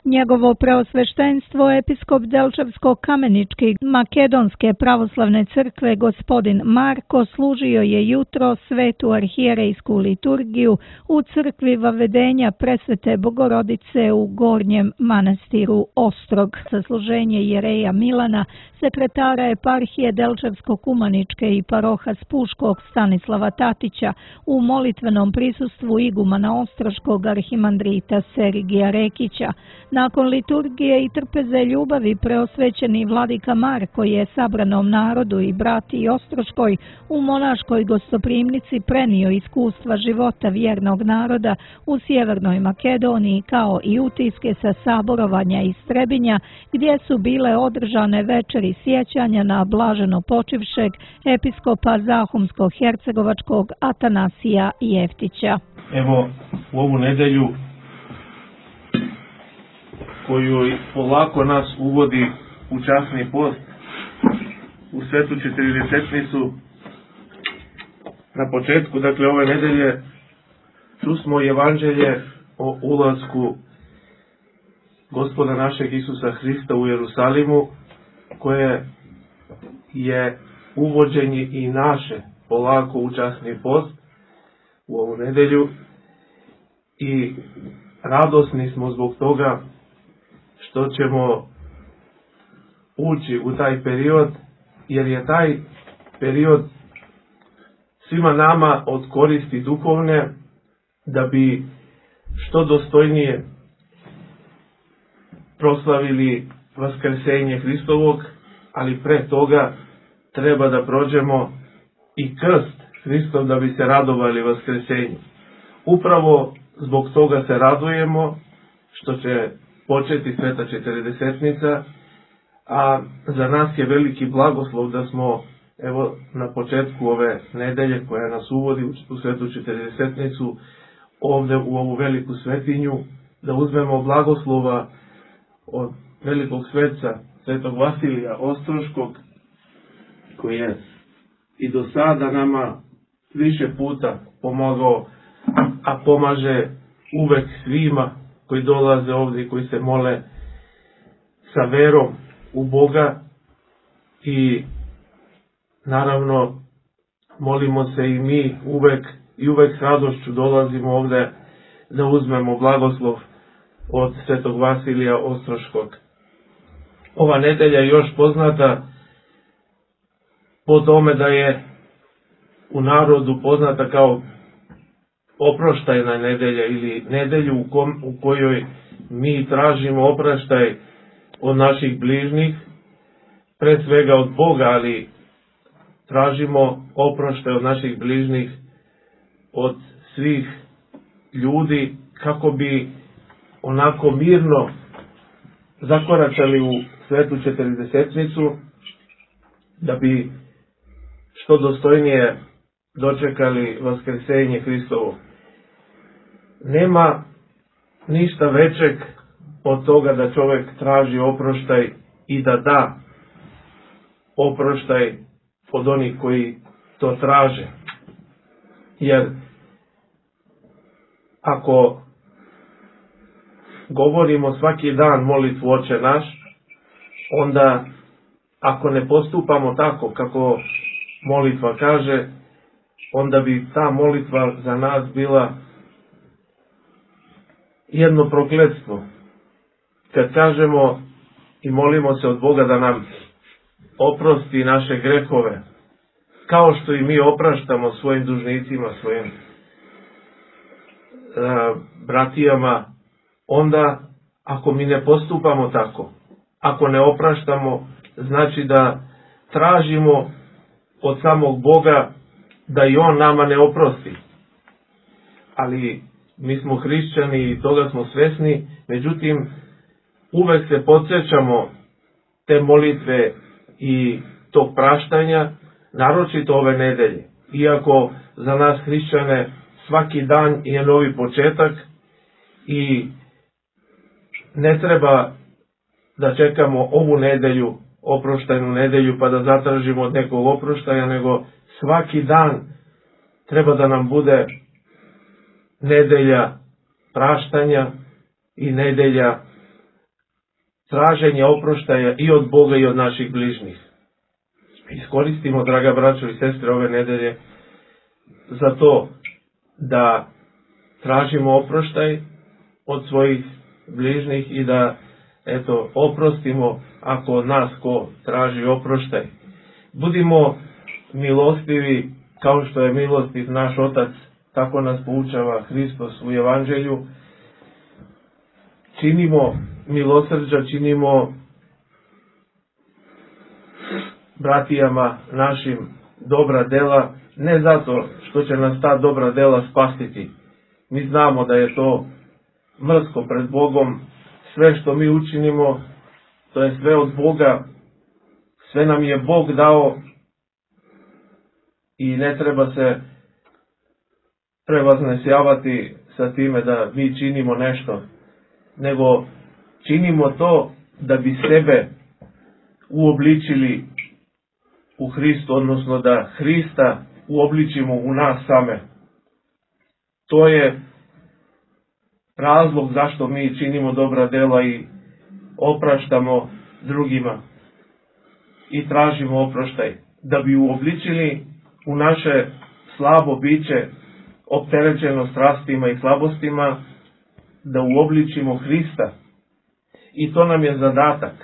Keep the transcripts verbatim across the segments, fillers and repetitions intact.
Njegovo preosveštenstvo episkop Delčevsko-Kamenički Makedonske pravoslavne crkve gospodin Marko služio je jutro svetu arhijerejsku liturgiju u crkvi Vavedenja Presvete Bogorodice u Gornjem manastiru Ostrog. Sasluženje jereja Milana, sekretara eparhije Delčevsko-Kumaničke i paroha Spuškog Stanislava Tatića u molitvenom prisustvu igumana Ostroškog arhimandrita Serigija Rekića. Nakon liturgije i trpeze ljubavi preosvećeni vladika Marko je sabranom narodu i brati Ostroškoj u monaškoj gostoprimnici prenio iskustva života vjernog naroda u Sjevernoj Makedoniji kao i utiske sa saborovanja i Strebinja gdje su bile održane večeri sjećanja na blaženo počivšeg episkopa Zahumsko-Hercegovačkog Atanasija Jeftića. Evo u ovu nedelju koju polako nas uvodi u časni post, u svetu četrdesetnicu, na početku, dakle, ove nedelje čusmo evanđelje o ulasku Gospoda našeg Isusa Hrista u Jerusalimu, koje je uvođenje i naše polako u časni post u ovu nedelju i radosni smo zbog toga što ćemo ući u taj period, jer je taj period svima nama od koristi duhovne, da bi što dostojnije proslavili vaskrsenje Hristovog, ali pre toga treba da prođemo i krst Hristov da bi se radovali vaskrsenju. Upravo zbog toga se radujemo što će početi sveta četrdesetnica, a za nas je veliki blagoslov da smo, evo, na početku ove nedelje koja nas uvodi u svetu četrdesetnicu, ovde u ovu veliku svetinju, da uzmemo blagoslova od velikog sveca, svetog Vasilija Ostroškog, koji je i do sada nama više puta pomogao, a pomaže uvek svima koji dolaze ovdje i koji se mole sa verom u Boga. I naravno molimo se i mi uvek i uvek s radošću dolazimo ovdje da uzmemo blagoslov od svetog Vasilija Ostroškog. Ova nedelja je još poznata po tome da je u narodu poznata kao oproštajna nedelja ili nedelju u, kom, u kojoj mi tražimo opraštaj od naših bližnjih, pre svega od Boga, ali tražimo oproštaj od naših bližnjih, od svih ljudi, kako bi onako mirno zakoračali u svetu četrdesetnicu, da bi što dostojnije dočekali vaskrsenje Hristovo. Nema ništa većeg od toga da čovjek traži oproštaj i da da oproštaj od onih koji to traže. Jer ako govorimo svaki dan molitvu Oče naš, onda ako ne postupamo tako kako molitva kaže, onda bi ta molitva za nas bila jedno prokletstvo. Kad kažemo i molimo se od Boga da nam oprosti naše grehove, kao što i mi opraštamo svojim dužnicima, svojim uh, bratijama, onda ako mi ne postupamo tako, ako ne opraštamo, znači da tražimo od samog Boga da i On nama ne oprosti. Ali mi smo hrišćani i toga smo svesni, međutim uvek se podsjećamo te molitve i tog praštanja, naročito ove nedelje. Iako za nas hrišćane svaki dan je novi početak i ne treba da čekamo ovu nedelju, oproštajnu nedelju, pa da zatražimo od nekog oproštaja, nego svaki dan treba da nam bude nedelja praštanja i nedelja traženja oproštaja i od Boga i od naših bližnjih. Iskoristimo, draga braćo i sestre, ove nedelje za to da tražimo oproštaj od svojih bližnjih i da, eto, oprostimo ako od nas ko traži oproštaj. Budimo milostivi kao što je milostiv naš Otac, tako nas poučava Hristos u Evanđelju. Činimo milosrđa, činimo bratijama našim dobra dela, ne zato što će nas ta dobra dela spasiti. Mi znamo da je to mrsko pred Bogom, sve što mi učinimo, to je sve od Boga, sve nam je Bog dao i ne treba se prevaznesjavati sa time da mi činimo nešto, nego činimo to da bi sebe uobličili u Hristu, odnosno da Hrista uobličimo u nas same. To je razlog zašto mi činimo dobra dela i opraštamo drugima i tražimo oproštaj, da bi uobličili u naše slabo biće, opterećeno strastima i slabostima, da uobličimo Hrista. I to nam je zadatak.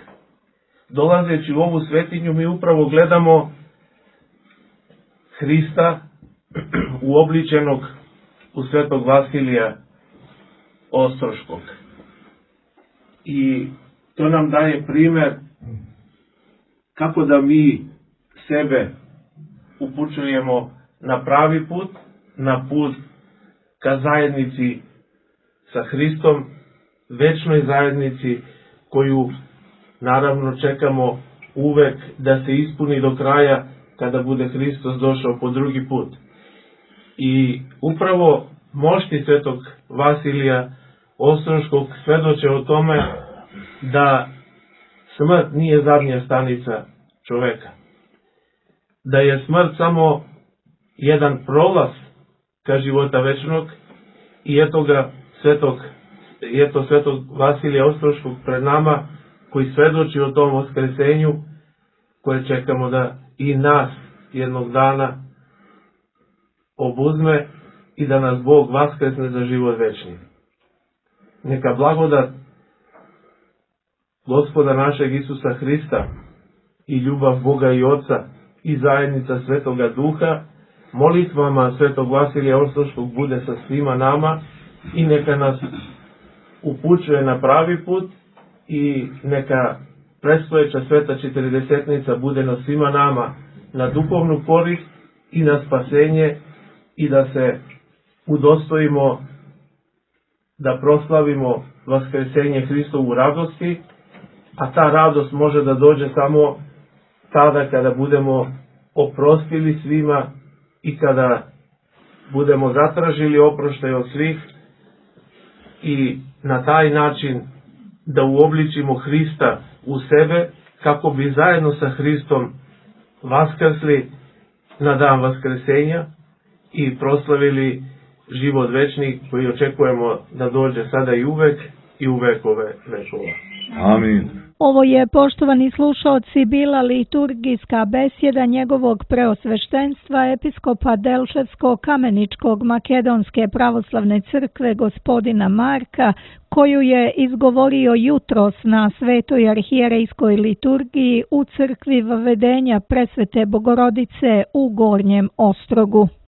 Dolazeći u ovu svetinju mi upravo gledamo Hrista uobličenog u svetog Vasilija Ostroškog. I to nam daje primer kako da mi sebe upućujemo na pravi put, na put ka zajednici sa Hristom, večnoj zajednici koju naravno čekamo uvek da se ispuni do kraja kada bude Hristos došao po drugi put. I upravo mošti svetog Vasilija Ostroškog svedoče o tome da smrt nije zadnja stanica čoveka. Da je smrt samo jedan prolaz ka života večnog i eto ga svetog, eto svetog Vasilija Ostroškog pred nama koji svedoči o tom vaskresenju koje čekamo da i nas jednog dana obuzme i da nas Bog vaskresne za život večni. Neka blagodat Gospoda našeg Isusa Hrista i ljubav Boga i Oca i zajednica Svetoga Duha molitvama svetog Vasilija Ostroškog bude sa svima nama i neka nas upućuje na pravi put i neka predstojeća sveta četrdesetnica bude na svima nama na duhovnu korist i na spasenje i da se udostojimo da proslavimo vaskresenje Hristovu radosti, a ta radost može da dođe samo tada kada budemo oprostili svima i kada budemo zatražili oproštaj od svih i na taj način da uobličimo Hrista u sebe kako bi zajedno sa Hristom vaskrsli na dan vaskresenja i proslavili život večni koji očekujemo da dođe sada i uvek i u vekove vekova. Amin. Ovo je, poštovani slušaoci, bila liturgijska besjeda njegovog preosveštenstva episkopa Delčevsko-Kameničkog Makedonske pravoslavne crkve gospodina Marka, koju je izgovorio jutros na Svetoj arhijerejskoj liturgiji u crkvi Vavedenja Presvete Bogorodice u Gornjem Ostrogu.